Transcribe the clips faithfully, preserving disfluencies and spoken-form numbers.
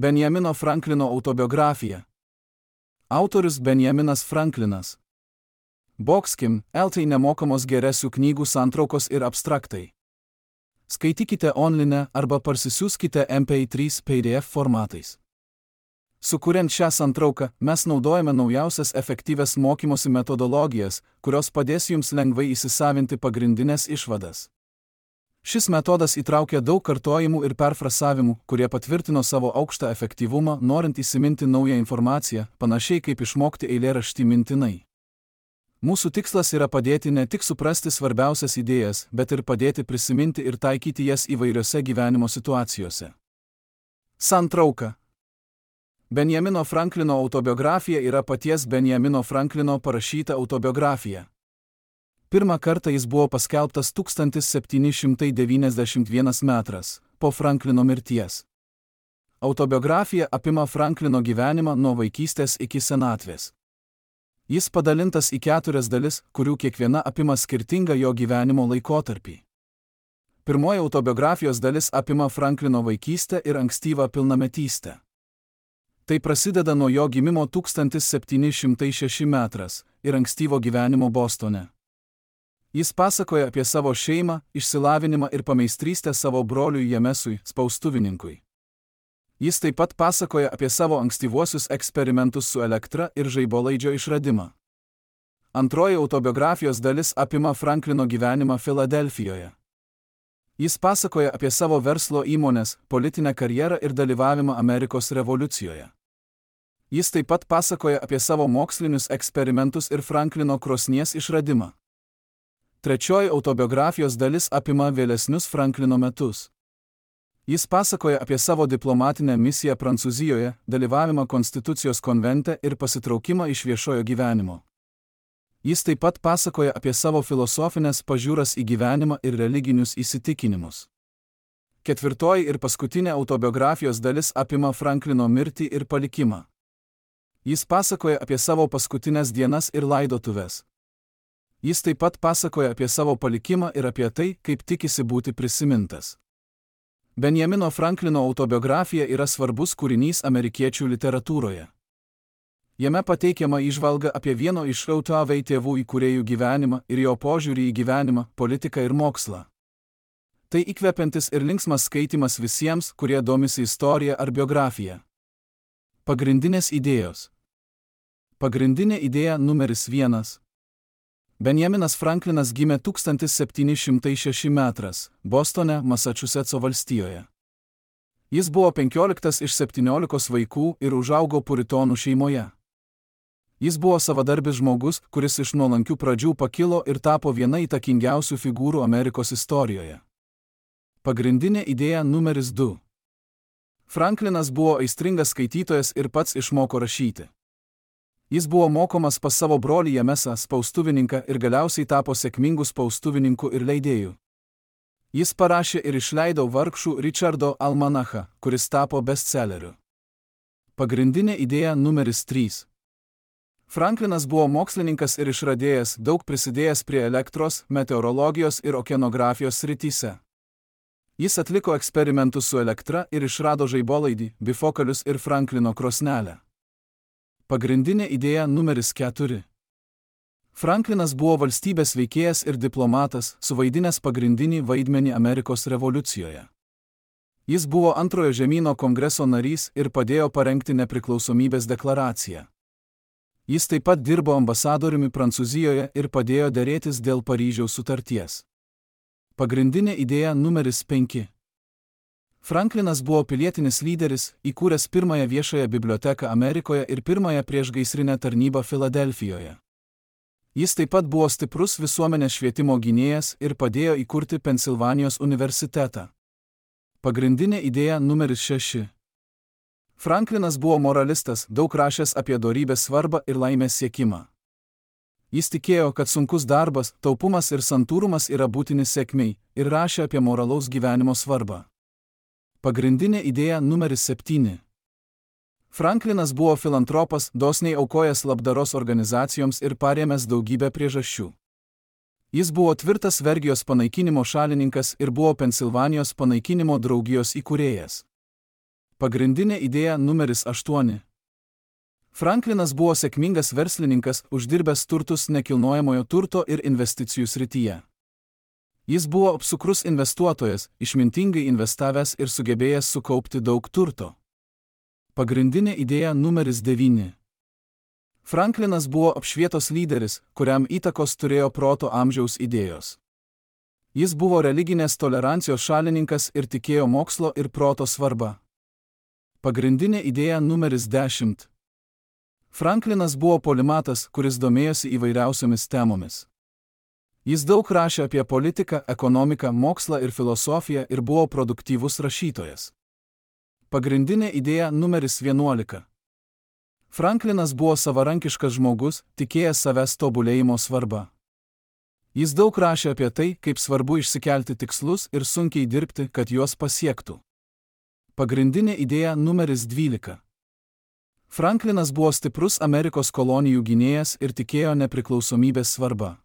Benjamino Franklino autobiografija. Autorius Benjaminas Franklinas. Boxkim, eltai nemokamos geresių knygų santraukos ir abstraktai. Skaitykite online arba parsisiųskite M P trys P D F formatais. Sukuriant šią santrauką, mes naudojame naujausias efektyvias mokymosi metodologijas, kurios padės jums lengvai įsisavinti pagrindinės išvadas. Šis metodas įtraukia daug kartojimų ir perfrasavimų, kurie patvirtino savo aukštą efektyvumą, norint įsiminti naują informaciją, panašiai kaip išmokti eilėraštį mintinai. Mūsų tikslas yra padėti ne tik suprasti svarbiausias idėjas, bet ir padėti prisiminti ir taikyti jas įvairiose gyvenimo situacijose. Santrauka. Benjamino Franklino autobiografija yra paties Benjamino Franklino parašyta autobiografija. Pirmą kartą jis buvo paskelbtas tūkstantis septyni šimtai devyniasdešimt vienas metras po Franklino mirties. Autobiografija apima Franklino gyvenimą nuo vaikystės iki senatvės. Jis padalintas į keturias dalis, kurių kiekviena apima skirtingą jo gyvenimo laikotarpį. Pirmoji autobiografijos dalis apima Franklino vaikystę ir ankstyvą pilnametystę. Tai prasideda nuo jo gimimo tūkstantis septyni šimtai šeši metras ir ankstyvo gyvenimo Bostone. Jis pasakoja apie savo šeimą, išsilavinimą ir pameistrystę savo broliui Jamesui, spaustuvininkui. Jis taip pat pasakoja apie savo ankstyvuosius eksperimentus su elektra ir žaibolaidžio išradimą. Antroji autobiografijos dalis apima Franklino gyvenimą Filadelfijoje. Jis pasakoja apie savo verslo įmonės, politinę karjerą ir dalyvavimą Amerikos revoliucijoje. Jis taip pat pasakoja apie savo mokslinius eksperimentus ir Franklino krosnies išradimą. Trečioji autobiografijos dalis apima vėlesnius Franklino metus. Jis pasakoja apie savo diplomatinę misiją Prancūzijoje, dalyvavimą Konstitucijos konvente ir pasitraukimą iš viešojo gyvenimo. Jis taip pat pasakoja apie savo filosofinės pažiūras į gyvenimą ir religinius įsitikinimus. Ketvirtoji ir paskutinė autobiografijos dalis apima Franklino mirtį ir palikimą. Jis pasakoja apie savo paskutinės dienas ir laidotuves. Jis taip pat pasakoja apie savo palikimą ir apie tai, kaip tikisi būti prisimintas. Benjamino Franklino autobiografija yra svarbus kūrinys amerikiečių literatūroje. Jame pateikiama įžvalga apie vieno iš O T V tėvų įkūrėjų gyvenimą ir jo požiūrį į gyvenimą, politiką ir mokslą. Tai įkvepiantis ir linksmas skaitimas visiems, kurie domisi istorija ar biografija. Pagrindinės idėjos. Pagrindinė idėja numeris vienas. Benjaminas Franklinas gimė tūkstantis septyni šimtai šeši metras, Bostone, Masačusetso valstijoje. Jis buvo penkioliktas iš septyniolikos vaikų ir užaugo puritonų šeimoje. Jis buvo savadarbis žmogus, kuris iš nuolankių pradžių pakilo ir tapo viena įtakingiausių figūrų Amerikos istorijoje. Pagrindinė idėja numeris du. Franklinas buvo aistringas skaitytojas ir pats išmoko rašyti. Jis buvo mokomas pas savo brolį Jamesą, spaustuvininką, ir galiausiai tapo sėkmingu spaustuvininku ir leidėju. Jis parašė ir išleido vargšų Richardo almanachą, kuris tapo bestselleriu. Pagrindinė idėja numeris trys. Franklinas buvo mokslininkas ir išradėjas, daug prisidėjęs prie elektros, meteorologijos ir okeanografijos srityse. Jis atliko eksperimentus su elektra ir išrado žaibolaidį, bifokalius ir Franklino krosnelę. Pagrindinė idėja numeris keturi. Franklinas buvo valstybės veikėjas ir diplomatas, suvaidinęs pagrindinį vaidmenį Amerikos revoliucijoje. Jis buvo antrojo žemyno kongreso narys ir padėjo parengti nepriklausomybės deklaraciją. Jis taip pat dirbo ambasadoriumi Prancūzijoje ir padėjo derėtis dėl Paryžiaus sutarties. Pagrindinė idėja numeris penki. Franklinas buvo pilietinis lyderis, įkūręs pirmąją viešąją biblioteką Amerikoje ir pirmąją priešgaisrinę tarnybą Filadelfijoje. Jis taip pat buvo stiprus visuomenės švietimo gynėjas ir padėjo įkurti Pensilvanijos universitetą. Pagrindinė idėja numeris šeši. Franklinas buvo moralistas, daug rašęs apie dorybės svarbą ir laimės siekimą. Jis tikėjo, kad sunkus darbas, taupumas ir santūrumas yra būtini sėkmei, ir rašė apie moralaus gyvenimo svarbą. Pagrindinė idėja numeris septyni. Franklinas buvo filantropas, dosniai aukojęs labdaros organizacijoms ir parėmęs daugybę priežasčių. Jis buvo tvirtas vergijos panaikinimo šalininkas ir buvo Pensilvanijos panaikinimo draugijos įkūrėjas. Pagrindinė idėja numeris aštuoni. Franklinas buvo sėkmingas verslininkas, uždirbęs turtus nekilnojamojo turto ir investicijų srityje. Jis buvo apsukrus investuotojas, išmintingai investavęs ir sugebėjęs sukaupti daug turto. Pagrindinė idėja numeris devyni. Franklinas buvo apšvietos lyderis, kuriam įtakos turėjo proto amžiaus idėjos. Jis buvo religinės tolerancijos šalininkas ir tikėjo mokslo ir proto svarba. Pagrindinė idėja numeris dešimt. Franklinas buvo polimatas, kuris domėjosi įvairiausiomis temomis. Jis daug rašė apie politiką, ekonomiką, mokslą ir filosofiją ir buvo produktyvus rašytojas. Pagrindinė idėja numeris vienuolika. Franklinas buvo savarankiškas žmogus, tikėjęs savęs tobulėjimo svarba. Jis daug rašė apie tai, kaip svarbu išsikelti tikslus ir sunkiai dirbti, kad juos pasiektų. Pagrindinė idėja numeris dvylika. Franklinas buvo stiprus Amerikos kolonijų gynėjas ir tikėjo nepriklausomybės svarba.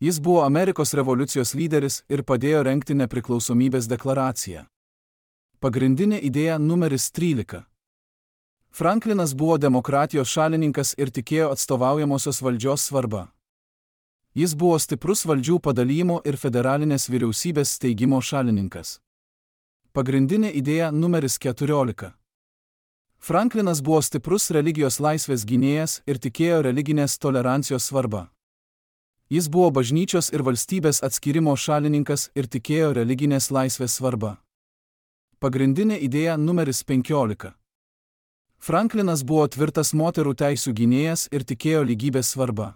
Jis buvo Amerikos revoliucijos lyderis ir padėjo rengti nepriklausomybės deklaraciją. Pagrindinė idėja numeris trylika. Franklinas buvo demokratijos šalininkas ir tikėjo atstovaujamosios valdžios svarba. Jis buvo stiprus valdžių padalijimo ir federalinės vyriausybės steigimo šalininkas. Pagrindinė idėja numeris keturiolika. Franklinas buvo stiprus religijos laisvės gynėjas ir tikėjo religinės tolerancijos svarba. Jis buvo bažnyčios ir valstybės atskyrimo šalininkas ir tikėjo religinės laisvės svarba. Pagrindinė idėja numeris penkiolika. Franklinas buvo tvirtas moterų teisių gynėjas ir tikėjo lygybės svarba.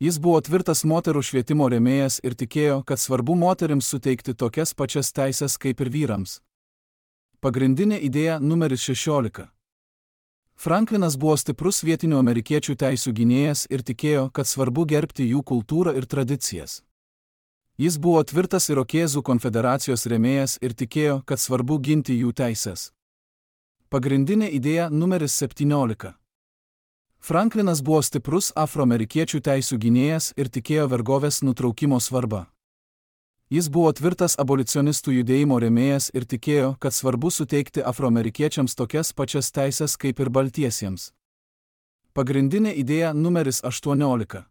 Jis buvo tvirtas moterų švietimo rėmėjas ir tikėjo, kad svarbu moterims suteikti tokias pačias teises kaip ir vyrams. Pagrindinė idėja numeris šešiolika. Franklinas buvo stiprus vietinių amerikiečių teisių gynėjas ir tikėjo, kad svarbu gerbti jų kultūrą ir tradicijas. Jis buvo tvirtas Irokezų konfederacijos rėmėjas ir tikėjo, kad svarbu ginti jų teises. Pagrindinė idėja numeris septyniolika. Franklinas buvo stiprus afroamerikiečių teisių gynėjas ir tikėjo vergovės nutraukimo svarbą. Jis buvo tvirtas abolicionistų judėjimo rėmėjas ir tikėjo, kad svarbu suteikti afroamerikiečiams tokias pačias teises kaip ir baltiesiems. Pagrindinė idėja numeris aštuoniolika.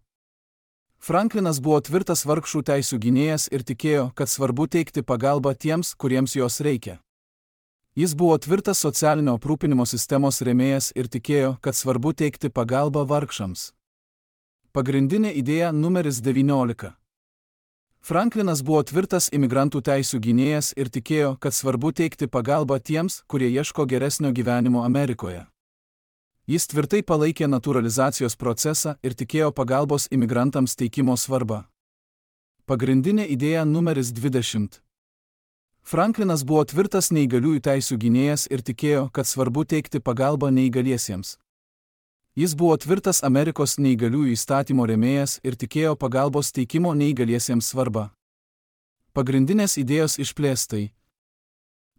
Franklinas buvo tvirtas vargšų teisių gynėjas ir tikėjo, kad svarbu teikti pagalbą tiems, kuriems jos reikia. Jis buvo tvirtas socialinio aprūpinimo sistemos rėmėjas ir tikėjo, kad svarbu teikti pagalbą vargšams. Pagrindinė idėja numeris devyniolika. Franklinas buvo tvirtas imigrantų teisių gynėjas ir tikėjo, kad svarbu teikti pagalbą tiems, kurie ieško geresnio gyvenimo Amerikoje. Jis tvirtai palaikė naturalizacijos procesą ir tikėjo pagalbos imigrantams teikimo svarbą. Pagrindinė idėja numeris dvidešimt. Franklinas buvo tvirtas neįgaliųjų teisių gynėjas ir tikėjo, kad svarbu teikti pagalbą neįgaliesiems. Jis buvo tvirtas Amerikos neįgaliųjų įstatymo rėmėjas ir tikėjo pagalbos teikimo neįgaliesiems svarbą. Pagrindinės idėjos išplėstai.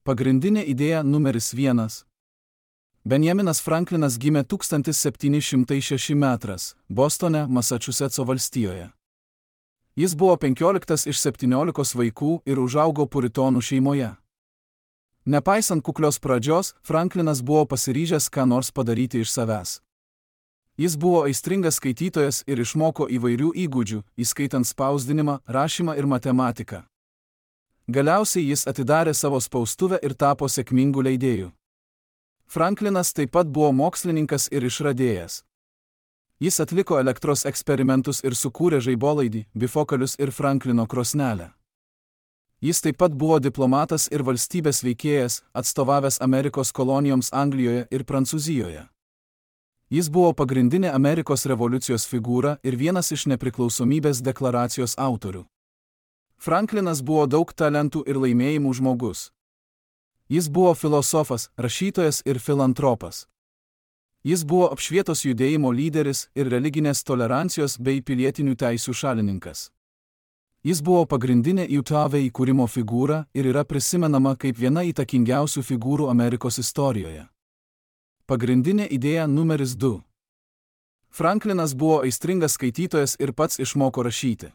Pagrindinė idėja numeris vienas. Benjaminas Franklinas gimė tūkstantis septyni šimtai šeši metras, Bostone, Masačusetso valstijoje. Jis buvo penkioliktas iš septyniolikos vaikų ir užaugo puritonų šeimoje. Nepaisant kuklios pradžios, Franklinas buvo pasiryžęs ką nors padaryti iš savęs. Jis buvo aistringas skaitytojas ir išmoko įvairių įgūdžių, įskaitant spausdinimą, rašymą ir matematiką. Galiausiai jis atidarė savo spaustuvę ir tapo sėkmingu leidėju. Franklinas taip pat buvo mokslininkas ir išradėjas. Jis atliko elektros eksperimentus ir sukūrė žaibolaidį, bifokalius ir Franklino krosnelę. Jis taip pat buvo diplomatas ir valstybės veikėjas, atstovavęs Amerikos kolonijoms Anglijoje ir Prancūzijoje. Jis buvo pagrindinė Amerikos revoliucijos figūra ir vienas iš nepriklausomybės deklaracijos autorių. Franklinas buvo daug talentų ir laimėjimų žmogus. Jis buvo filosofas, rašytojas ir filantropas. Jis buvo apšvietos judėjimo lyderis ir religinės tolerancijos bei pilietinių teisių šalininkas. Jis buvo pagrindinė U T V įkūrimo figūra ir yra prisimenama kaip viena įtakingiausių figūrų Amerikos istorijoje. Pagrindinė idėja numeris du. Franklinas buvo aistringas skaitytojas ir pats išmoko rašyti.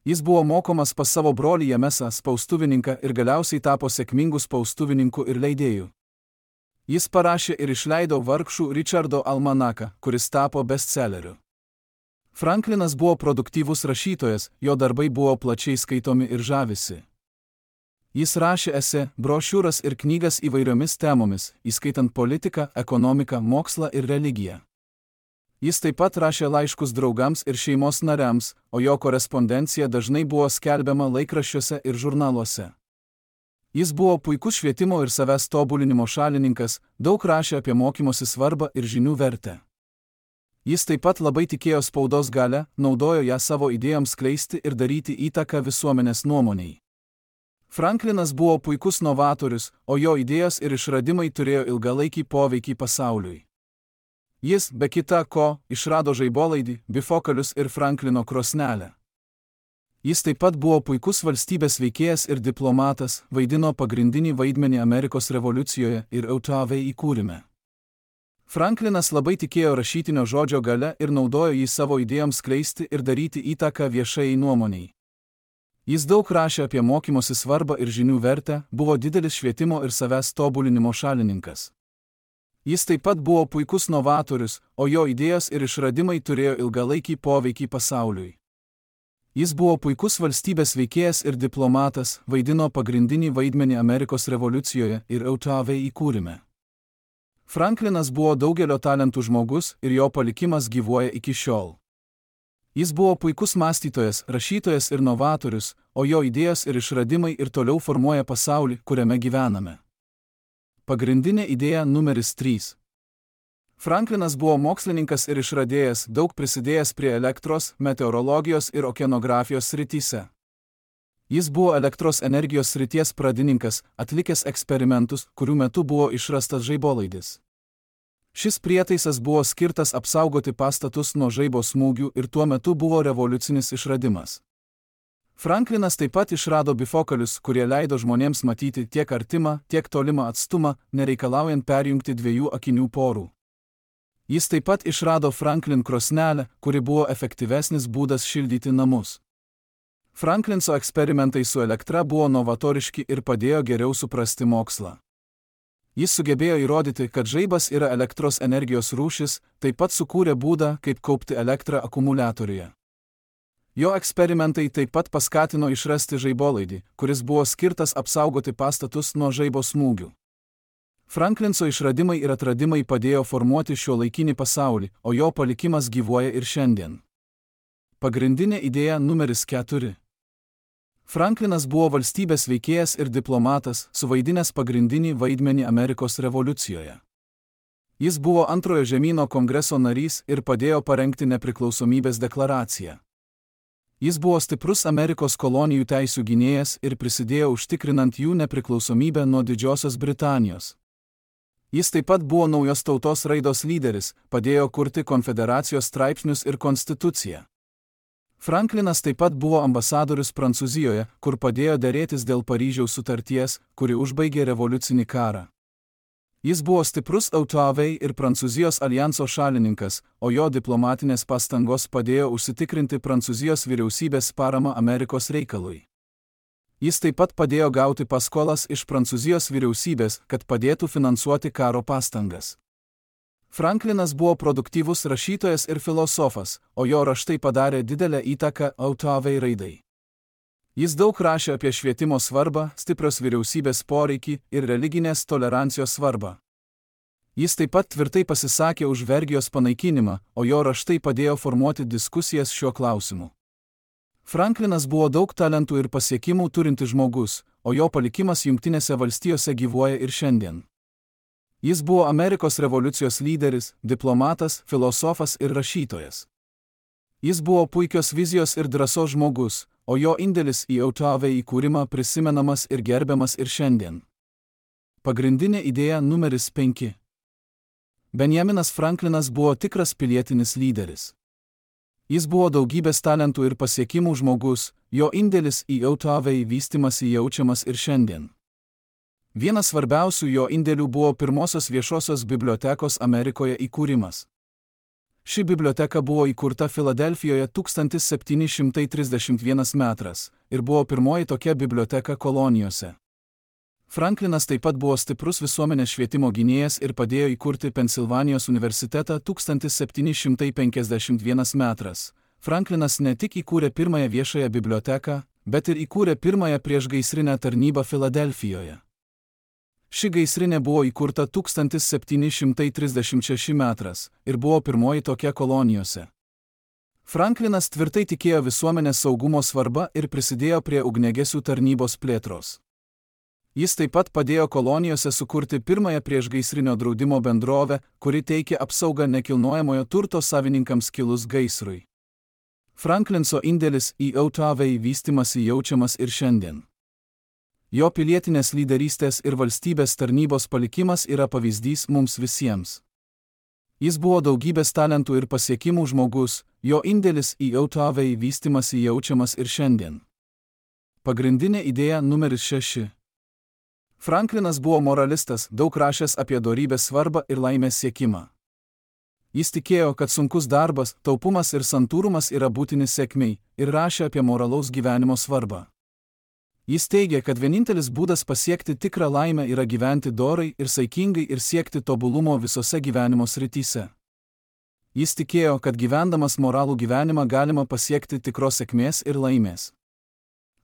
Jis buvo mokomas pas savo brolį Jamesą spaustuvininką ir galiausiai tapo sėkmingu spaustuvininku ir leidėju. Jis parašė ir išleido Vargšų Richardo almanaką, kuris tapo bestselleriu. Franklinas buvo produktyvus rašytojas, jo darbai buvo plačiai skaitomi ir žavisi. Jis rašė esė, brošiūras ir knygas įvairiomis temomis, įskaitant politiką, ekonomiką, mokslą ir religiją. Jis taip pat rašė laiškus draugams ir šeimos nariams, o jo korespondencija dažnai buvo skelbiama laikraščiuose ir žurnaluose. Jis buvo puikus švietimo ir savęs tobulinimo šalininkas, daug rašė apie mokymosi svarbą ir žinių vertę. Jis taip pat labai tikėjo spaudos galią, naudojo ją savo idėjoms skleisti ir daryti įtaką visuomenės nuomoniai. Franklinas buvo puikus novatorius, o jo idėjos ir išradimai turėjo ilgalaikį poveikį pasauliui. Jis, be kita ko, išrado žaibolaidį, bifokalius ir Franklino krosnelę. Jis taip pat buvo puikus valstybės veikėjas ir diplomatas, vaidino pagrindinį vaidmenį Amerikos revoliucijoje ir O T V įkūrime. Franklinas labai tikėjo rašytinio žodžio galia ir naudojo jį savo idėjoms skleisti ir daryti įtaką viešai nuomoniai. Jis daug rašė apie mokymosi svarbą ir žinių vertę, buvo didelis švietimo ir savęs tobulinimo šalininkas. Jis taip pat buvo puikus novatorius, o jo idėjos ir išradimai turėjo ilgalaikį poveikį pasauliui. Jis buvo puikus valstybės veikėjas ir diplomatas, vaidino pagrindinį vaidmenį Amerikos revoliucijoje ir O T V įkūrime. Franklinas buvo daugelio talentų žmogus ir jo palikimas gyvuoja iki šiol. Jis buvo puikus mąstytojas, rašytojas ir novatorius, o jo idėjos ir išradimai ir toliau formuoja pasaulį, kuriame gyvename. Pagrindinė idėja numeris trys. Franklinas buvo mokslininkas ir išradėjas, daug prisidėjęs prie elektros, meteorologijos ir okeanografijos srityse. Jis buvo elektros energijos srities pradininkas, atlikęs eksperimentus, kurių metu buvo išrastas žaibolaidis. Šis prietaisas buvo skirtas apsaugoti pastatus nuo žaibo smūgių ir tuo metu buvo revoliucinis išradimas. Franklinas taip pat išrado bifokalius, kurie leido žmonėms matyti tiek artimą, tiek tolimą atstumą, nereikalaujant perjungti dviejų akinių porų. Jis taip pat išrado Franklin krosnelę, kuri buvo efektyvesnis būdas šildyti namus. Franklinso eksperimentai su elektra buvo novatoriški ir padėjo geriau suprasti mokslą. Jis sugebėjo įrodyti, kad žaibas yra elektros energijos rūšis, taip pat sukūrė būdą, kaip kaupti elektrą akumuliatoriuje. Jo eksperimentai taip pat paskatino išrasti žaibolaidį, kuris buvo skirtas apsaugoti pastatus nuo žaibo smūgių. Franklinso išradimai ir atradimai padėjo formuoti šiuolaikinį pasaulį, o jo palikimas gyvuoja ir šiandien. Pagrindinė idėja numeris keturi. Franklinas buvo valstybės veikėjas ir diplomatas, suvaidinęs pagrindinį vaidmenį Amerikos revoliucijoje. Jis buvo antrojo žemyno kongreso narys ir padėjo parengti nepriklausomybės deklaraciją. Jis buvo stiprus Amerikos kolonijų teisių gynėjas ir prisidėjo užtikrinant jų nepriklausomybę nuo Didžiosios Britanijos. Jis taip pat buvo naujos tautos raidos lyderis, padėjo kurti konfederacijos straipsnius ir konstituciją. Franklinas taip pat buvo ambasadorius Prancūzijoje, kur padėjo derėtis dėl Paryžiaus sutarties, kuri užbaigė revoliucinį karą. Jis buvo stiprus O T V ir Prancūzijos alijanso šalininkas, o jo diplomatinės pastangos padėjo užsitikrinti Prancūzijos vyriausybės paramą Amerikos reikalui. Jis taip pat padėjo gauti paskolas iš Prancūzijos vyriausybės, kad padėtų finansuoti karo pastangas. Franklinas buvo produktyvus rašytojas ir filosofas, o jo raštai padarė didelę įtaką O T V raidai. Jis daug rašė apie švietimo svarbą, stiprios vyriausybės poreikį ir religinės tolerancijos svarbą. Jis taip pat tvirtai pasisakė už vergijos panaikinimą, o jo raštai padėjo formuoti diskusijas šiuo klausimu. Franklinas buvo daug talentų ir pasiekimų turintis žmogus, o jo palikimas Jungtinėse valstijose gyvuoja ir šiandien. Jis buvo Amerikos revoliucijos lyderis, diplomatas, filosofas ir rašytojas. Jis buvo puikios vizijos ir drąsos žmogus, o jo indėlis į O T V įkūrimą prisimenamas ir gerbiamas ir šiandien. Pagrindinė idėja numeris penki. Benjaminas Franklinas buvo tikras pilietinis lyderis. Jis buvo daugybės talentų ir pasiekimų žmogus, jo indėlis į O T V vystymąsi jaučiamas ir šiandien. Vienas svarbiausių jo indėlių buvo pirmosios viešosios bibliotekos Amerikoje įkūrimas. Ši biblioteka buvo įkurta Filadelfijoje tūkstantis septyni šimtai trisdešimt vienas metras ir buvo pirmoji tokia biblioteka kolonijose. Franklinas taip pat buvo stiprus visuomenės švietimo gynėjas ir padėjo įkurti Pensilvanijos universitetą tūkstantis septyni šimtai penkiasdešimt vienas metras. Franklinas ne tik įkūrė pirmąją viešąją biblioteką, bet ir įkūrė pirmąją priešgaisrinę tarnybą Filadelfijoje. Ši gaisrinė buvo įkurta tūkstantis septyni šimtai trisdešimt šeši metras ir buvo pirmoji tokia kolonijose. Franklinas tvirtai tikėjo visuomenės saugumo svarba ir prisidėjo prie ugniagesių tarnybos plėtros. Jis taip pat padėjo kolonijose sukurti pirmąją priešgaisrinio draudimo bendrovę, kuri teikė apsaugą nekilnojamojo turto savininkams kilus gaisrui. Franklinso indėlis į O T V vystymąsi jaučiamas ir šiandien. Jo pilietinės lyderystės ir valstybės tarnybos palikimas yra pavyzdys mums visiems. Jis buvo daugybės talentų ir pasiekimų žmogus, jo indėlis į O T V vystymąsi jaučiamas ir šiandien. Pagrindinė idėja numeris šeši. Franklinas buvo moralistas, daug rašęs apie dorybės svarbą ir laimės siekimą. Jis tikėjo, kad sunkus darbas, taupumas ir santūrumas yra būtini sėkmei ir rašė apie moralaus gyvenimo svarbą. Jis teigė, kad vienintelis būdas pasiekti tikrą laimę yra gyventi dorai ir saikingai ir siekti tobulumo visose gyvenimo srityse. Jis tikėjo, kad gyvendamas moralų gyvenimą galima pasiekti tikros sėkmės ir laimės.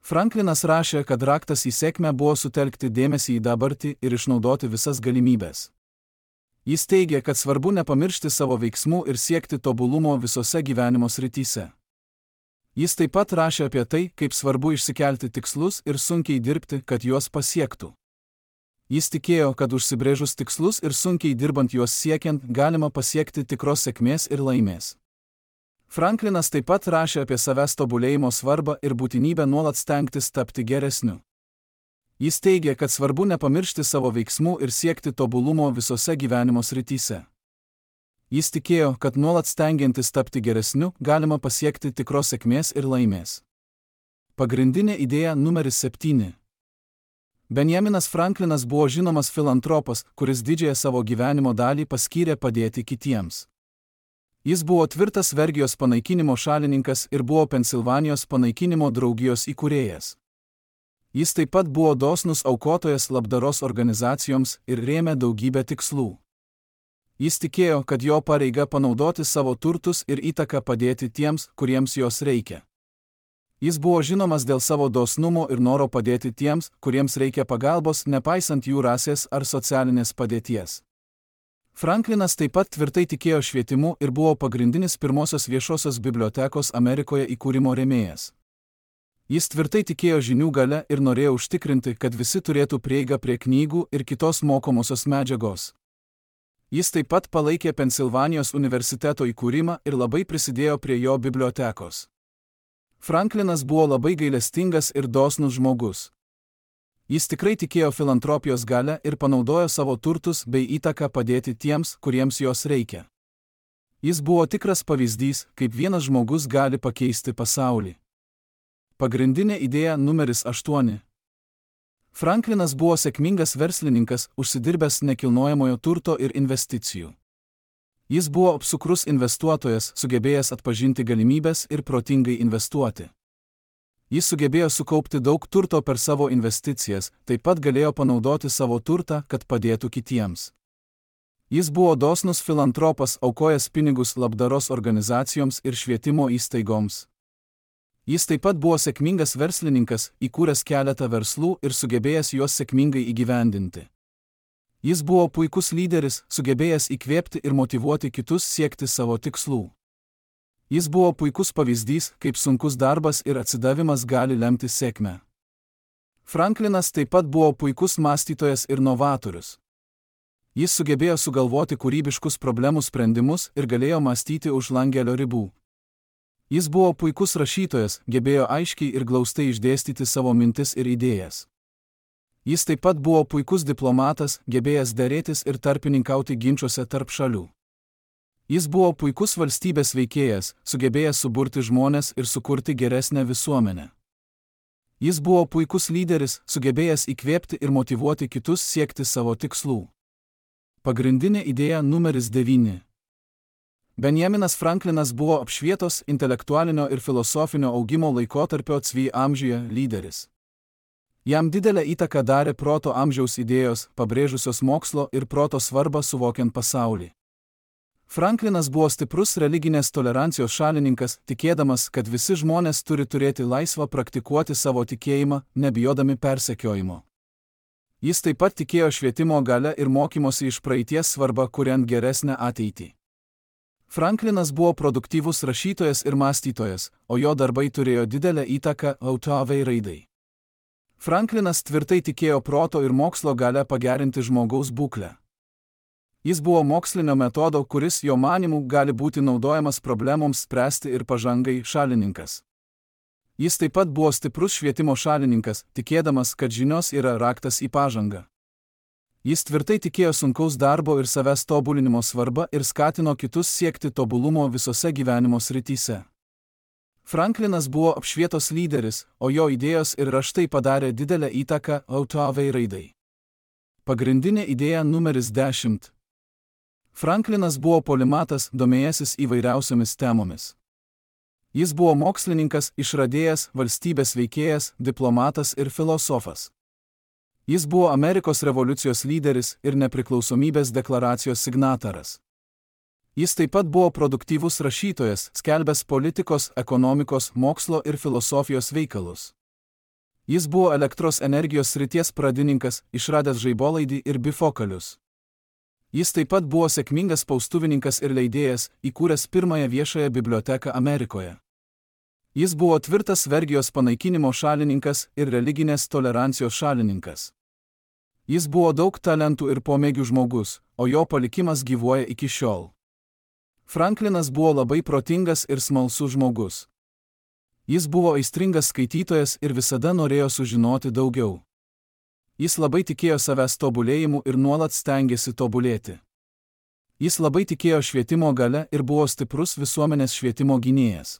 Franklinas rašė, kad raktas į sėkmę buvo sutelkti dėmesį į dabartį ir išnaudoti visas galimybės. Jis teigė, kad svarbu nepamiršti savo veiksmų ir siekti tobulumo visose gyvenimo srityse. Jis taip pat rašė apie tai, kaip svarbu išsikelti tikslus ir sunkiai dirbti, kad juos pasiektų. Jis tikėjo, kad užsibrėžus tikslus ir sunkiai dirbant juos siekiant, galima pasiekti tikros sėkmės ir laimės. Franklinas taip pat rašė apie savęs tobulėjimo svarbą ir būtinybę nuolat stengtis tapti geresniu. Jis teigė, kad svarbu nepamiršti savo veiksmų ir siekti tobulumo visose gyvenimo srityse. Jis tikėjo, kad nuolat stengiantis tapti geresniu, galima pasiekti tikros sėkmės ir laimės. Pagrindinė idėja numeris septyni. Benjaminas Franklinas buvo žinomas filantropas, kuris didžiąją savo gyvenimo dalį paskyrė padėti kitiems. Jis buvo tvirtas vergijos panaikinimo šalininkas ir buvo Pensilvanijos panaikinimo draugijos įkūrėjas. Jis taip pat buvo dosnus aukotojas labdaros organizacijoms ir rėmė daugybę tikslų. Jis tikėjo, kad jo pareiga panaudoti savo turtus ir įtaką padėti tiems, kuriems jos reikia. Jis buvo žinomas dėl savo dosnumo ir noro padėti tiems, kuriems reikia pagalbos, nepaisant jų rasės ar socialinės padėties. Franklinas taip pat tvirtai tikėjo švietimu ir buvo pagrindinis pirmosios viešosios bibliotekos Amerikoje įkūrimo rėmėjas. Jis tvirtai tikėjo žinių galia ir norėjo užtikrinti, kad visi turėtų prieigą prie knygų ir kitos mokomosios medžiagos. Jis taip pat palaikė Pensilvanijos universiteto įkūrimą ir labai prisidėjo prie jo bibliotekos. Franklinas buvo labai gailestingas ir dosnus žmogus. Jis tikrai tikėjo filantropijos galią ir panaudojo savo turtus bei įtaką padėti tiems, kuriems jos reikia. Jis buvo tikras pavyzdys, kaip vienas žmogus gali pakeisti pasaulį. Pagrindinė idėja numeris aštuoni. Franklinas buvo sėkmingas verslininkas, užsidirbęs nekilnojamojo turto ir investicijų. Jis buvo apsukrus investuotojas, sugebėjęs atpažinti galimybės ir protingai investuoti. Jis sugebėjo sukaupti daug turto per savo investicijas, taip pat galėjo panaudoti savo turtą, kad padėtų kitiems. Jis buvo dosnus filantropas, aukojęs pinigus labdaros organizacijoms ir švietimo įstaigoms. Jis taip pat buvo sėkmingas verslininkas, įkūręs keletą verslų ir sugebėjęs juos sėkmingai įgyvendinti. Jis buvo puikus lyderis, sugebėjęs įkvėpti ir motyvuoti kitus siekti savo tikslų. Jis buvo puikus pavyzdys, kaip sunkus darbas ir atsidavimas gali lemti sėkmę. Franklinas taip pat buvo puikus mąstytojas ir novatorius. Jis sugebėjo sugalvoti kūrybiškus problemų sprendimus ir galėjo mąstyti už langelio ribų. Jis buvo puikus rašytojas, gebėjo aiškiai ir glaustai išdėstyti savo mintis ir idėjas. Jis taip pat buvo puikus diplomatas, gebėjęs derėtis ir tarpininkauti ginčiuose tarp šalių. Jis buvo puikus valstybės veikėjas, sugebėjęs suburti žmones ir sukurti geresnę visuomenę. Jis buvo puikus lyderis, sugebėjęs įkvėpti ir motyvuoti kitus siekti savo tikslų. Pagrindinė idėja numeris devyni. Benjaminas Franklinas buvo apšvietos intelektualinio ir filosofinio augimo laikotarpio cvi amžiuje lyderis. Jam didelę įtaką darė proto amžiaus idėjos, pabrėžusios mokslo ir proto svarbą suvokiant pasaulį. Franklinas buvo stiprus religinės tolerancijos šalininkas, tikėdamas, kad visi žmonės turi turėti laisvą praktikuoti savo tikėjimą, nebijodami persekiojimo. Jis taip pat tikėjo švietimo galia ir mokymosi iš praeities svarbą, kuriant geresnę ateitį. Franklinas buvo produktyvus rašytojas ir mąstytojas, o jo darbai turėjo didelę įtaką autoavai raidai. Franklinas tvirtai tikėjo proto ir mokslo galia pagerinti žmogaus būklę. Jis buvo mokslinio metodo, kuris jo manymu gali būti naudojamas problemoms spręsti ir pažangai šalininkas. Jis taip pat buvo stiprus švietimo šalininkas, tikėdamas, kad žinios yra raktas į pažangą. Jis tvirtai tikėjo sunkaus darbo ir savęs tobulinimo svarbą ir skatino kitus siekti tobulumo visose gyvenimo srityse. Franklinas buvo apšvietos lyderis, o jo idėjos ir raštai padarė didelę įtaką autoavai raidai. Pagrindinė idėja numeris dešimt. Franklinas buvo polimatas, domėjęsis įvairiausiomis temomis. Jis buvo mokslininkas, išradėjas, valstybės veikėjas, diplomatas ir filosofas. Jis buvo Amerikos revoliucijos lyderis ir nepriklausomybės deklaracijos signataras. Jis taip pat buvo produktyvus rašytojas, skelbęs politikos, ekonomikos, mokslo ir filosofijos veikalus. Jis buvo elektros energijos srities pradininkas, išradęs žaibolaidį ir bifokalius. Jis taip pat buvo sėkmingas spaustuvininkas ir leidėjas, įkūręs pirmąją viešąją biblioteką Amerikoje. Jis buvo tvirtas vergijos panaikinimo šalininkas ir religinės tolerancijos šalininkas. Jis buvo daug talentų ir pomėgių žmogus, o jo palikimas gyvuoja iki šiol. Franklinas buvo labai protingas ir smalsus žmogus. Jis buvo aistringas skaitytojas ir visada norėjo sužinoti daugiau. Jis labai tikėjo savęs tobulėjimu ir nuolat stengėsi tobulėti. Jis labai tikėjo švietimo galia ir buvo stiprus visuomenės švietimo gynėjas.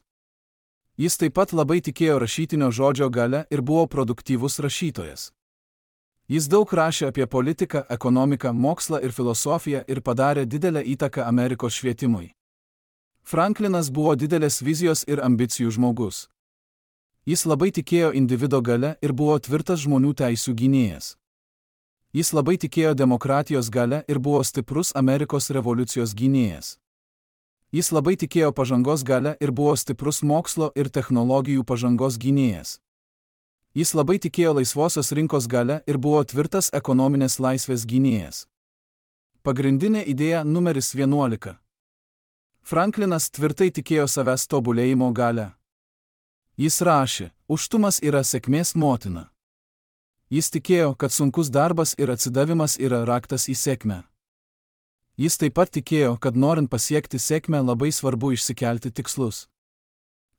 Jis taip pat labai tikėjo rašytinio žodžio galia ir buvo produktyvus rašytojas. Jis daug rašė apie politiką, ekonomiką, mokslą ir filosofiją ir padarė didelę įtaką Amerikos švietimui. Franklinas buvo didelės vizijos ir ambicijų žmogus. Jis labai tikėjo individo galia ir buvo tvirtas žmonių teisių gynėjas. Jis labai tikėjo demokratijos galia ir buvo stiprus Amerikos revoliucijos gynėjas. Jis labai tikėjo pažangos galia ir buvo stiprus mokslo ir technologijų pažangos gynėjas. Jis labai tikėjo laisvosios rinkos galia ir buvo tvirtas ekonominės laisvės gynėjas. Pagrindinė idėja numeris vienuolika. Franklinas tvirtai tikėjo savęs tobulėjimo galia. Jis rašė, užtumas yra sėkmės motina. Jis tikėjo, kad sunkus darbas ir atsidavimas yra raktas į sėkmę. Jis taip pat tikėjo, kad norint pasiekti sėkmę labai svarbu išsikelti tikslus.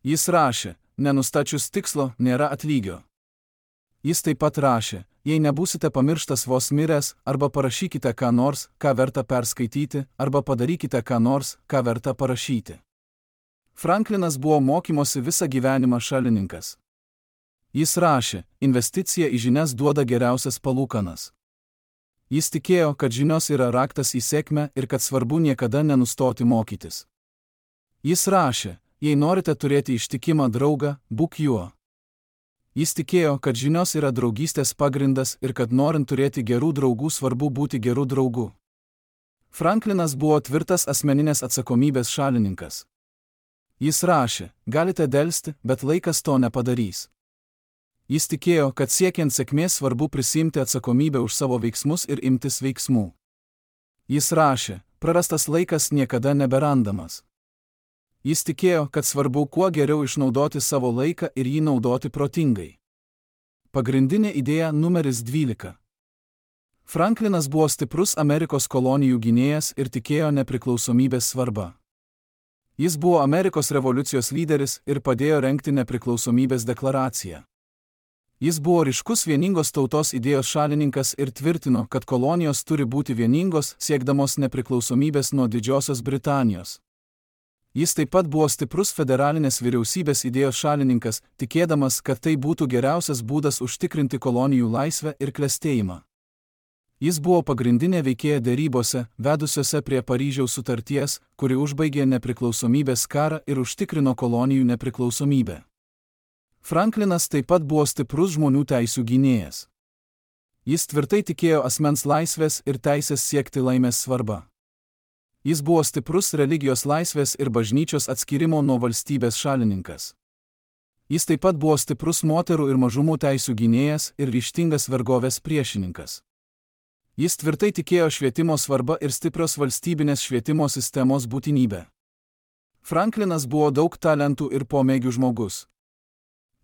Jis rašė, nenustačius tikslo nėra atlygio. Jis taip pat rašė, jei nebūsite pamirštas vos miręs, arba parašykite ką nors, ką verta perskaityti, arba padarykite ką nors, ką verta parašyti. Franklinas buvo mokymosi visą gyvenimą šalininkas. Jis rašė, investicija į žinias duoda geriausias palūkanas. Jis tikėjo, kad žinios yra raktas į sėkmę ir kad svarbu niekada nenustoti mokytis. Jis rašė, jei norite turėti ištikimą draugą, būk juo. Jis tikėjo, kad žinios yra draugystės pagrindas ir kad norint turėti gerų draugų svarbu būti gerų draugų. Franklinas buvo tvirtas asmeninės atsakomybės šalininkas. Jis rašė, galite delsti, bet laikas to nepadarys. Jis tikėjo, kad siekiant sėkmės svarbu prisimti atsakomybę už savo veiksmus ir imtis veiksmų. Jis rašė, prarastas laikas niekada neberandamas. Jis tikėjo, kad svarbu kuo geriau išnaudoti savo laiką ir jį naudoti protingai. Pagrindinė idėja numeris dvylika. Franklinas buvo stiprus Amerikos kolonijų gynėjas ir tikėjo nepriklausomybės svarbą. Jis buvo Amerikos revoliucijos lyderis ir padėjo rengti nepriklausomybės deklaraciją. Jis buvo ryškus vieningos tautos idėjos šalininkas ir tvirtino, kad kolonijos turi būti vieningos, siekdamos nepriklausomybės nuo Didžiosios Britanijos. Jis taip pat buvo stiprus federalinės vyriausybės idėjos šalininkas, tikėdamas, kad tai būtų geriausias būdas užtikrinti kolonijų laisvę ir klestėjimą. Jis buvo pagrindinė veikėja derybose, vedusiose prie Paryžiaus sutarties, kuri užbaigė nepriklausomybės karą ir užtikrino kolonijų nepriklausomybę. Franklinas taip pat buvo stiprus žmonių teisių gynėjas. Jis tvirtai tikėjo asmens laisvės ir teisės siekti laimės svarba. Jis buvo stiprus religijos laisvės ir bažnyčios atskyrimo nuo valstybės šalininkas. Jis taip pat buvo stiprus moterų ir mažumų teisių gynėjas ir ryžtingas vergovės priešininkas. Jis tvirtai tikėjo švietimo svarba ir stiprios valstybinės švietimo sistemos būtinybę. Franklinas buvo daug talentų ir pomėgių žmogus.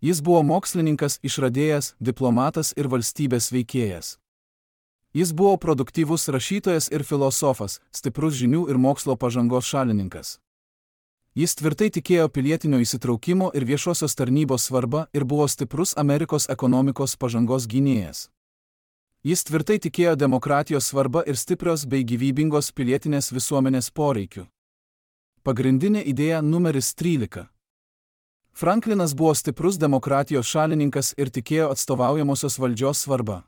Jis buvo mokslininkas, išradėjas, diplomatas ir valstybės veikėjas. Jis buvo produktyvus rašytojas ir filosofas, stiprus žinių ir mokslo pažangos šalininkas. Jis tvirtai tikėjo pilietinio įsitraukimo ir viešosios tarnybos svarba ir buvo stiprus Amerikos ekonomikos pažangos gynėjas. Jis tvirtai tikėjo demokratijos svarba ir stiprios bei gyvybingos pilietinės visuomenės poreikių. Pagrindinė idėja numeris trylika. Franklinas buvo stiprus demokratijos šalininkas ir tikėjo atstovaujamosios valdžios svarba.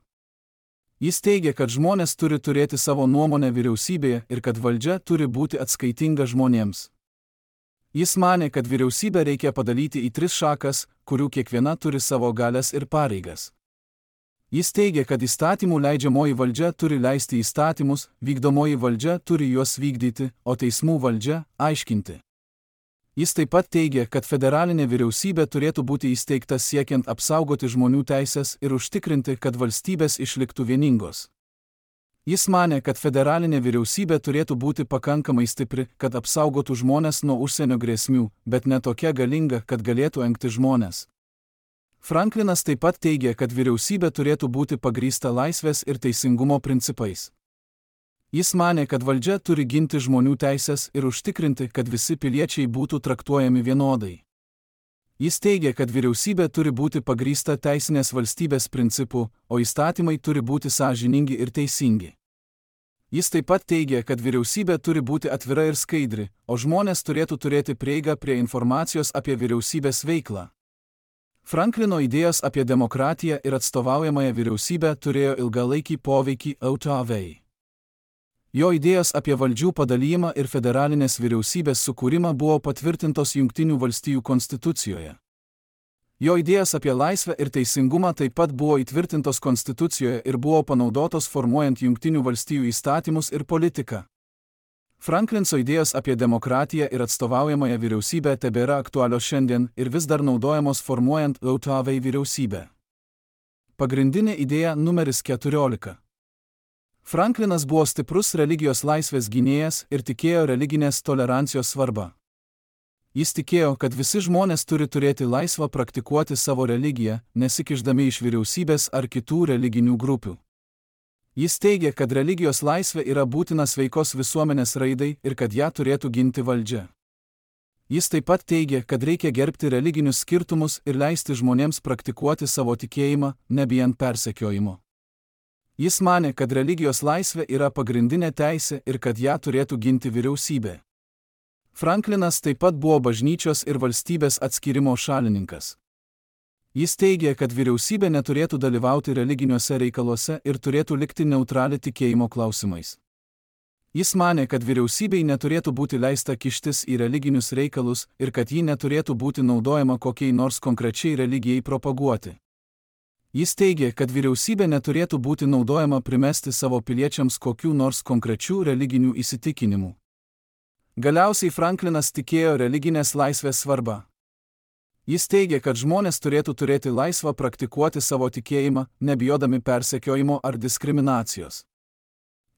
Jis teigė, kad žmonės turi turėti savo nuomonę vyriausybėje ir kad valdžia turi būti atskaitinga žmonėms. Jis manė, kad vyriausybę reikia padalyti į tris šakas, kurių kiekviena turi savo galias ir pareigas. Jis teigė, kad įstatymų leidžiamoji valdžia turi leisti įstatymus, vykdomoji valdžia turi juos vykdyti, o teismų valdžia – aiškinti. Jis taip pat teigė, kad federalinė vyriausybė turėtų būti įsteigta siekiant apsaugoti žmonių teisės ir užtikrinti, kad valstybės išliktų vieningos. Jis manė, kad federalinė vyriausybė turėtų būti pakankamai stipri, kad apsaugotų žmones nuo užsienio grėsmių, bet ne tokia galinga, kad galėtų engti žmones. Franklinas taip pat teigė, kad vyriausybė turėtų būti pagrįsta laisvės ir teisingumo principais. Jis manė, kad valdžia turi ginti žmonių teisės ir užtikrinti, kad visi piliečiai būtų traktuojami vienodai. Jis teigė, kad vyriausybė turi būti pagrįsta teisinės valstybės principų, o įstatymai turi būti sąžiningi ir teisingi. Jis taip pat teigė, kad vyriausybė turi būti atvira ir skaidri, o žmonės turėtų turėti prieigą prie informacijos apie vyriausybės veiklą. Franklino idėjos apie demokratiją ir atstovaujamąją vyriausybę turėjo ilgalaikį poveikį O T V. Jo idėjos apie valdžių padalijimą ir federalinės vyriausybės sukūrimą buvo patvirtintos Jungtinių valstijų konstitucijoje. Jo idėjos apie laisvę ir teisingumą taip pat buvo įtvirtintos konstitucijoje ir buvo panaudotos formuojant Jungtinių valstijų įstatymus ir politiką. Franklinso idėjos apie demokratiją ir atstovaujamąją vyriausybę tebėra aktualios šiandien ir vis dar naudojamos formuojant O T V vyriausybę. Pagrindinė idėja numeris keturiolika. Franklinas buvo stiprus religijos laisvės gynėjas ir tikėjo religinės tolerancijos svarbą. Jis tikėjo, kad visi žmonės turi turėti laisvą praktikuoti savo religiją, nesikišdami iš vyriausybės ar kitų religinių grupių. Jis teigė, kad religijos laisvė yra būtina sveikos visuomenės raidai ir kad ją turėtų ginti valdžia. Jis taip pat teigė, kad reikia gerbti religinius skirtumus ir leisti žmonėms praktikuoti savo tikėjimą, nebijant persekiojimo. Jis manė, kad religijos laisvė yra pagrindinė teisė ir kad ją turėtų ginti vyriausybė. Franklinas taip pat buvo bažnyčios ir valstybės atskyrimo šalininkas. Jis teigė, kad vyriausybė neturėtų dalyvauti religiniuose reikaluose ir turėtų likti neutrali tikėjimo klausimais. Jis manė, kad vyriausybei neturėtų būti leista kištis į religinius reikalus ir kad ji neturėtų būti naudojama kokiai nors konkrečiai religijai propaguoti. Jis teigė, kad vyriausybė neturėtų būti naudojama primesti savo piliečiams kokių nors konkrečių religinių įsitikinimų. Galiausiai Franklinas tikėjo religinės laisvės svarbą. Jis teigė, kad žmonės turėtų turėti laisvą praktikuoti savo tikėjimą, nebijodami persekiojimo ar diskriminacijos.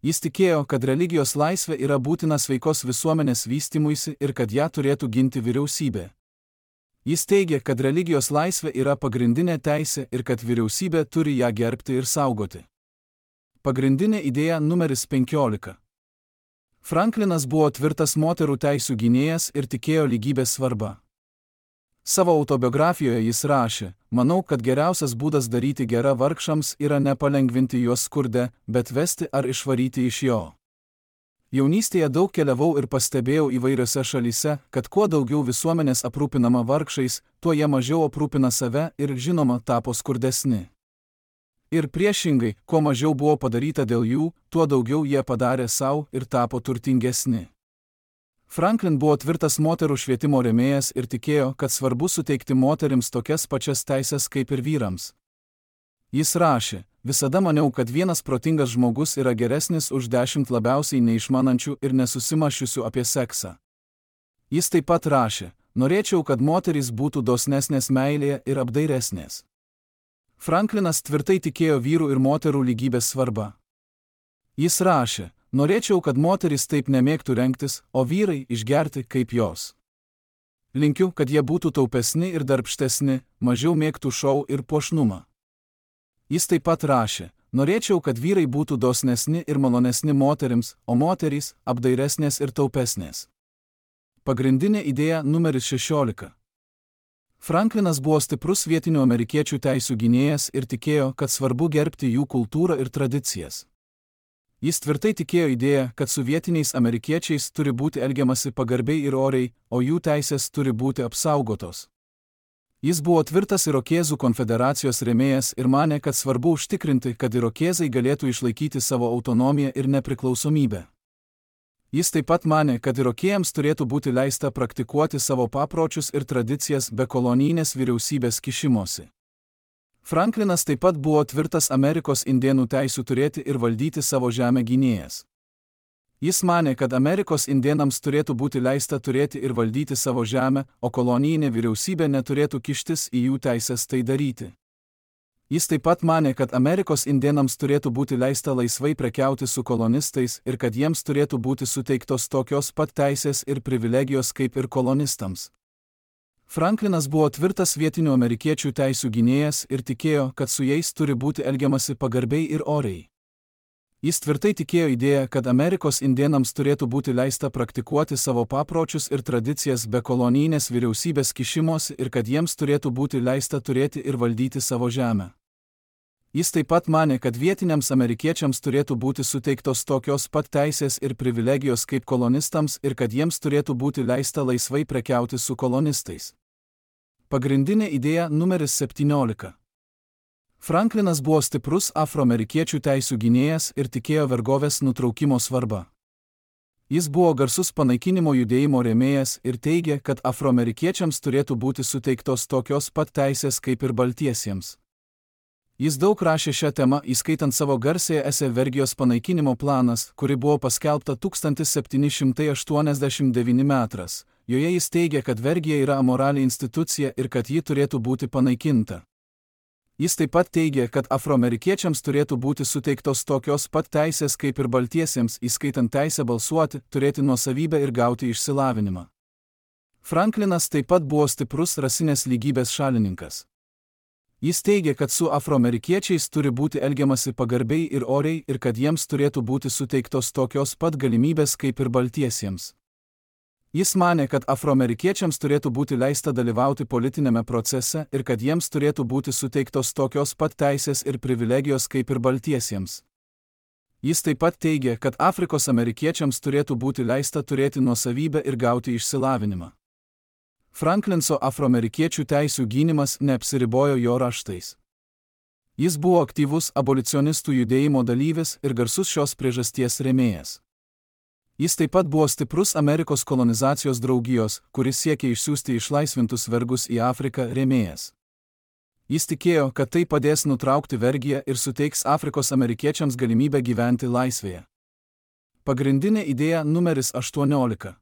Jis tikėjo, kad religijos laisvė yra būtina sveikos visuomenės vystymuisi ir kad ją turėtų ginti vyriausybė. Jis teigė, kad religijos laisvė yra pagrindinė teisė ir kad vyriausybė turi ją gerbti ir saugoti. Pagrindinė idėja numeris penkiolika. Franklinas buvo tvirtas moterų teisių gynėjas ir tikėjo lygybės svarbą. Savo autobiografijoje jis rašė: manau, kad geriausias būdas daryti gerą vargšams yra ne palengvinti juos skurde, bet vesti ar išvaryti iš jo. Jaunystėje daug keliavau ir pastebėjau įvairiose šalyse, kad kuo daugiau visuomenės aprūpinama vargšais, tuo jie mažiau aprūpina save ir, žinoma, tapo skurdesni. Ir priešingai, kuo mažiau buvo padaryta dėl jų, tuo daugiau jie padarė savo ir tapo turtingesni. Franklin buvo tvirtas moterų švietimo rėmėjas ir tikėjo, kad svarbu suteikti moterims tokias pačias teisės kaip ir vyrams. Jis rašė, visada maniau, kad vienas protingas žmogus yra geresnis už dešimt labiausiai neišmanančių ir nesusimašiusių apie seksą. Jis taip pat rašė, norėčiau, kad moterys būtų dosnesnės meilėje ir apdairesnės. Franklinas tvirtai tikėjo vyrų ir moterų lygybės svarbą. Jis rašė, norėčiau, kad moterys taip nemėgtų rengtis, o vyrai išgerti kaip jos. Linkiu, kad jie būtų taupesni ir darbštesni, mažiau mėgtų šou ir puošnumą. Jis taip pat rašė, norėčiau, kad vyrai būtų dosnesni ir malonesni moterims, o moterys apdairesnės ir taupesnės. Pagrindinė idėja numeris šešiolika. Franklinas buvo stiprus vietinių amerikiečių teisių gynėjas ir tikėjo, kad svarbu gerbti jų kultūrą ir tradicijas. Jis tvirtai tikėjo idėją, kad su vietiniais amerikiečiais turi būti elgiamasi pagarbiai ir oriai, o jų teisės turi būti apsaugotos. Jis buvo tvirtas Irokėzų konfederacijos rėmėjas ir manė, kad svarbu užtikrinti, kad Irokėzai galėtų išlaikyti savo autonomiją ir nepriklausomybę. Jis taip pat manė, kad Irokėjams turėtų būti leista praktikuoti savo papročius ir tradicijas be kolonijinės vyriausybės kišimosi. Franklinas taip pat buvo tvirtas Amerikos indėnų teisių turėti ir valdyti savo žemę gynėjas. Jis manė, kad Amerikos indėnams turėtų būti leista turėti ir valdyti savo žemę, o kolonijinė vyriausybė neturėtų kištis į jų teisės tai daryti. Jis taip pat manė, kad Amerikos indėnams turėtų būti leista laisvai prekiauti su kolonistais ir kad jiems turėtų būti suteiktos tokios pat teisės ir privilegijos kaip ir kolonistams. Franklinas buvo tvirtas vietinių amerikiečių teisių gynėjas ir tikėjo, kad su jais turi būti elgiamasi pagarbiai ir oriai. Jis tvirtai tikėjo idėją, kad Amerikos indėnams turėtų būti leista praktikuoti savo papročius ir tradicijas be kolonijinės vyriausybės kišimosi ir kad jiems turėtų būti leista turėti ir valdyti savo žemę. Jis taip pat manė, kad vietiniams amerikiečiams turėtų būti suteiktos tokios pat teisės ir privilegijos kaip kolonistams ir kad jiems turėtų būti leista laisvai prekiauti su kolonistais. Pagrindinė idėja numeris septyniolika. Franklinas buvo stiprus afroamerikiečių teisių gynėjas ir tikėjo vergovės nutraukimo svarbą. Jis buvo garsus panaikinimo judėjimo rėmėjas ir teigė, kad afroamerikiečiams turėtų būti suteiktos tokios pat teisės kaip ir baltiesiems. Jis daug rašė šią temą, įskaitant savo garsėją esė Vergijos panaikinimo planas, kuri buvo paskelbta tūkstantis septyni šimtai aštuoniasdešimt devintais metais. Joje jis teigė, kad vergija yra amorali institucija ir kad ji turėtų būti panaikinta. Jis taip pat teigė, kad afroamerikiečiams turėtų būti suteiktos tokios pat teisės kaip ir baltiesiems, įskaitant teisę balsuoti, turėti nuosavybę ir gauti išsilavinimą. Franklinas taip pat buvo stiprus rasinės lygybės šalininkas. Jis teigė, kad su afroamerikiečiais turi būti elgiamasi pagarbiai ir oriai ir kad jiems turėtų būti suteiktos tokios pat galimybės kaip ir baltiesiems. Jis manė, kad afroamerikiečiams turėtų būti leista dalyvauti politinėme procese ir kad jiems turėtų būti suteiktos tokios pat teisės ir privilegijos kaip ir baltiesiems. Jis taip pat teigė, kad Afrikos amerikiečiams turėtų būti leista turėti nuosavybę ir gauti išsilavinimą. Franklinso afroamerikiečių teisių gynimas neapsiribojo jo raštais. Jis buvo aktyvus abolicionistų judėjimo dalyvis ir garsus šios priežasties rėmėjas. Jis taip pat buvo stiprus Amerikos kolonizacijos draugijos, kuris siekė išsiųsti išlaisvintus vergus į Afriką rėmėjas. Jis tikėjo, kad tai padės nutraukti vergiją ir suteiks Afrikos amerikiečiams galimybę gyventi laisvėje. Pagrindinė idėja numeris aštuoniolika.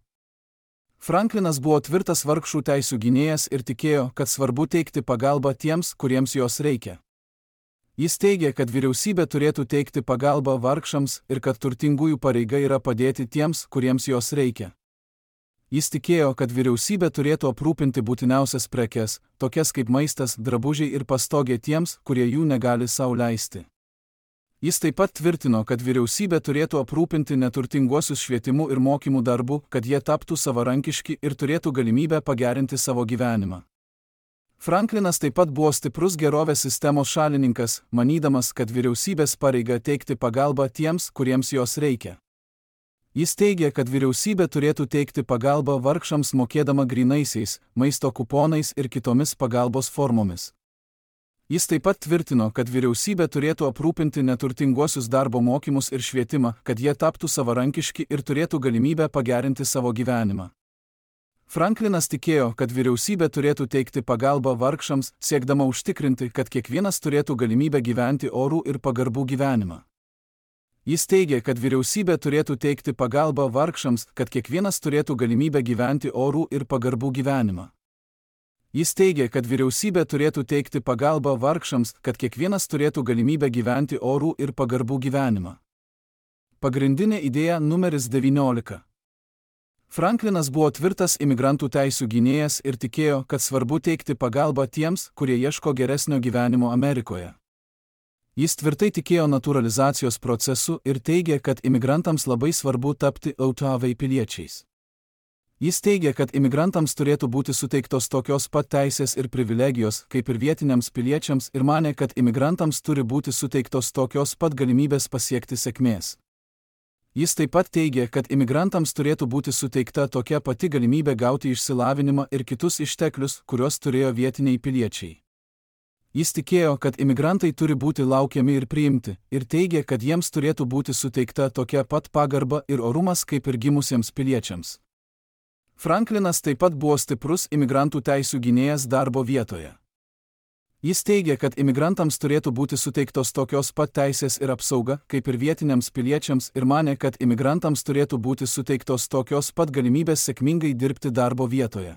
Franklinas buvo tvirtas vargšų teisių gynėjas ir tikėjo, kad svarbu teikti pagalbą tiems, kuriems jos reikia. Jis teigė, kad vyriausybė turėtų teikti pagalbą vargšams ir kad turtingųjų pareiga yra padėti tiems, kuriems jos reikia. Jis tikėjo, kad vyriausybė turėtų aprūpinti būtiniausias prekes, tokias kaip maistas, drabužiai ir pastogė tiems, kurie jų negali sau leisti. Jis taip pat tvirtino, kad vyriausybė turėtų aprūpinti neturtinguosius švietimu ir mokymų darbu, kad jie taptų savarankiški ir turėtų galimybę pagerinti savo gyvenimą. Franklinas taip pat buvo stiprus gerovės sistemos šalininkas, manydamas, kad vyriausybės pareiga teikti pagalbą tiems, kuriems jos reikia. Jis teigė, kad vyriausybė turėtų teikti pagalbą vargšams mokėdama grynaisiais, maisto kuponais ir kitomis pagalbos formomis. Jis taip pat tvirtino, kad vyriausybė turėtų aprūpinti neturtinguosius darbo mokymus ir švietimą, kad jie taptų savarankiški ir turėtų galimybę pagerinti savo gyvenimą. Franklinas tikėjo, kad vyriausybė turėtų teikti pagalbą vargšams, siekdama užtikrinti, kad kiekvienas turėtų galimybę gyventi orų ir pagarbų gyvenimą. Jis teigė, kad vyriausybė turėtų teikti pagalbą vargšams, kad kiekvienas turėtų galimybę gyventi orų ir pagarbų gyvenimą. Jis teigė, kad vyriausybė turėtų teikti pagalbą vargšams, kad kiekvienas turėtų galimybę gyventi orų ir pagarbų gyvenimą. Pagrindinė idėja numeris devyniolika. Franklinas buvo tvirtas imigrantų teisių gynėjas ir tikėjo, kad svarbu teikti pagalbą tiems, kurie ieško geresnio gyvenimo Amerikoje. Jis tvirtai tikėjo natūralizacijos procesu ir teigė, kad imigrantams labai svarbu tapti autoavai piliečiais. Jis teigė, kad imigrantams turėtų būti suteiktos tokios pat teisės ir privilegijos, kaip ir vietiniams piliečiams, ir manė, kad imigrantams turi būti suteiktos tokios pat galimybės pasiekti sėkmės. Jis taip pat teigė, kad imigrantams turėtų būti suteikta tokia pati galimybė gauti išsilavinimą ir kitus išteklius, kuriuos turėjo vietiniai piliečiai. Jis tikėjo, kad imigrantai turi būti laukiami ir priimti, ir teigė, kad jiems turėtų būti suteikta tokia pat pagarba ir orumas kaip ir gimusiems piliečiams. Franklinas taip pat buvo stiprus imigrantų teisių gynėjas darbo vietoje. Jis teigė, kad imigrantams turėtų būti suteiktos tokios pat teisės ir apsauga, kaip ir vietiniams piliečiams, ir manė, kad imigrantams turėtų būti suteiktos tokios pat galimybės sėkmingai dirbti darbo vietoje.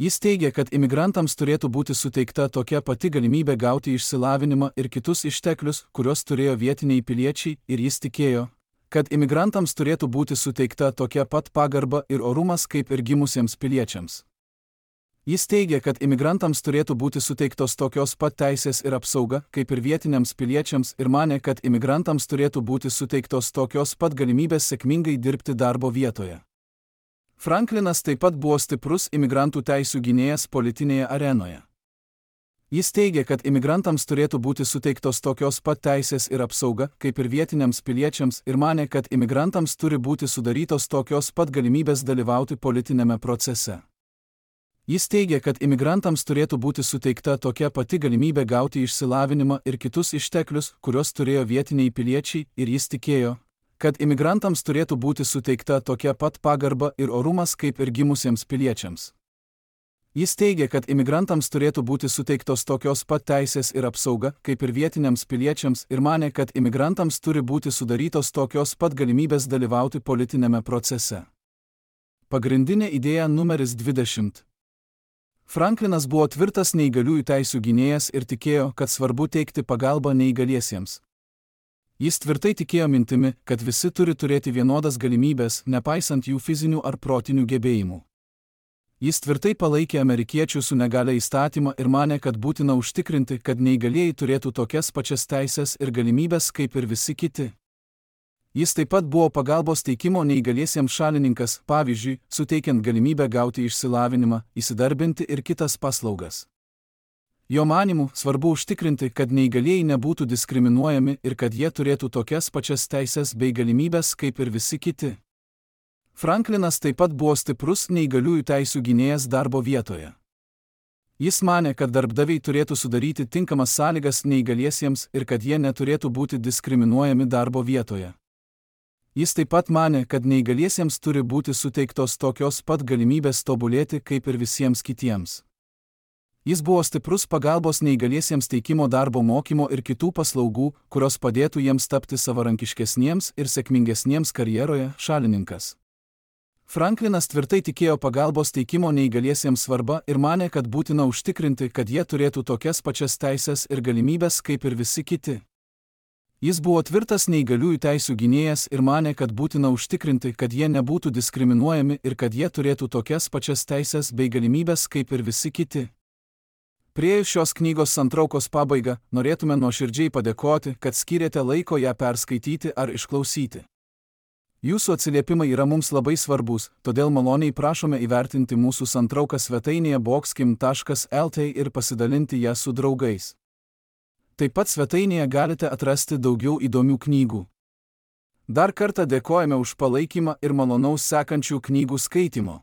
Jis teigė, kad imigrantams turėtų būti suteikta tokia pati galimybė gauti išsilavinimą ir kitus išteklius, kuriuos turėjo vietiniai piliečiai, ir jis tikėjo, kad imigrantams turėtų būti suteikta tokia pat pagarba ir orumas kaip ir gimusiems piliečiams. Jis teigė, kad imigrantams turėtų būti suteiktos tokios pat teisės ir apsauga kaip ir vietiniams piliečiams, ir manė, kad imigrantams turėtų būti suteiktos tokios pat galimybės sėkmingai dirbti darbo vietoje. Franklinas taip pat buvo stiprus imigrantų teisių gynėjas politinėje arenoje. Jis teigė, kad imigrantams turėtų būti suteiktos tokios pat teisės ir apsauga, kaip ir vietiniams piliečiams, ir manė, kad imigrantams turi būti sudarytos tokios pat galimybės dalyvauti politinėme procese. Jis teigė, kad imigrantams turėtų būti suteikta tokia pati galimybė gauti išsilavinimą ir kitus išteklius, kuriuos turėjo vietiniai piliečiai, ir jis tikėjo, kad imigrantams turėtų būti suteikta tokia pat pagarba ir orumas kaip ir gimusiems piliečiams. Jis teigė, kad imigrantams turėtų būti suteiktos tokios pat teisės ir apsauga, kaip ir vietiniams piliečiams, ir manė, kad imigrantams turi būti sudarytos tokios pat galimybės dalyvauti politinėme procese. Pagrindinė idėja numeris dvidešimt. Franklinas buvo tvirtas neįgaliųjų teisių gynėjas ir tikėjo, kad svarbu teikti pagalbą neįgaliesiems. Jis tvirtai tikėjo mintimi, kad visi turi turėti vienodas galimybės, nepaisant jų fizinių ar protinių gebėjimų. Jis tvirtai palaikė amerikiečių su negalia įstatymą ir manė, kad būtina užtikrinti, kad neįgalieji turėtų tokias pačias teisės ir galimybės kaip ir visi kiti. Jis taip pat buvo pagalbos teikimo neįgaliesiems šalininkas, pavyzdžiui, suteikiant galimybę gauti išsilavinimą, įsidarbinti ir kitas paslaugas. Jo manymu, svarbu užtikrinti, kad neįgalieji nebūtų diskriminuojami ir kad jie turėtų tokias pačias teisės bei galimybės kaip ir visi kiti. Franklinas taip pat buvo stiprus neįgaliųjų teisių gynėjas darbo vietoje. Jis manė, kad darbdaviai turėtų sudaryti tinkamas sąlygas neįgaliesiems ir kad jie neturėtų būti diskriminuojami darbo vietoje. Jis taip pat manė, kad neįgaliesiems turi būti suteiktos tokios pat galimybės tobulėti kaip ir visiems kitiems. Jis buvo stiprus pagalbos neįgaliesiems teikimo darbo mokymo ir kitų paslaugų, kurios padėtų jiems tapti savarankiškesniems ir sėkmingesniems karjeroje šalininkas. Franklinas tvirtai tikėjo pagalbos teikimo neįgaliesiems svarba ir manė, kad būtina užtikrinti, kad jie turėtų tokias pačias teisės ir galimybės kaip ir visi kiti. Jis buvo tvirtas neįgaliųjų teisių gynėjas ir manė, kad būtina užtikrinti, kad jie nebūtų diskriminuojami ir kad jie turėtų tokias pačias teisės bei galimybės kaip ir visi kiti. Priėjus šios knygos santraukos pabaigą, norėtume nuoširdžiai padėkoti, kad skyrėte laiko ją perskaityti ar išklausyti. Jūsų atsiliepimai yra mums labai svarbus, todėl maloniai prašome įvertinti mūsų santrauką svetainėje boxkim taškas el t ir pasidalinti ją su draugais. Taip pat svetainėje galite atrasti daugiau įdomių knygų. Dar kartą dėkojame už palaikymą ir malonaus sekančių knygų skaitimo.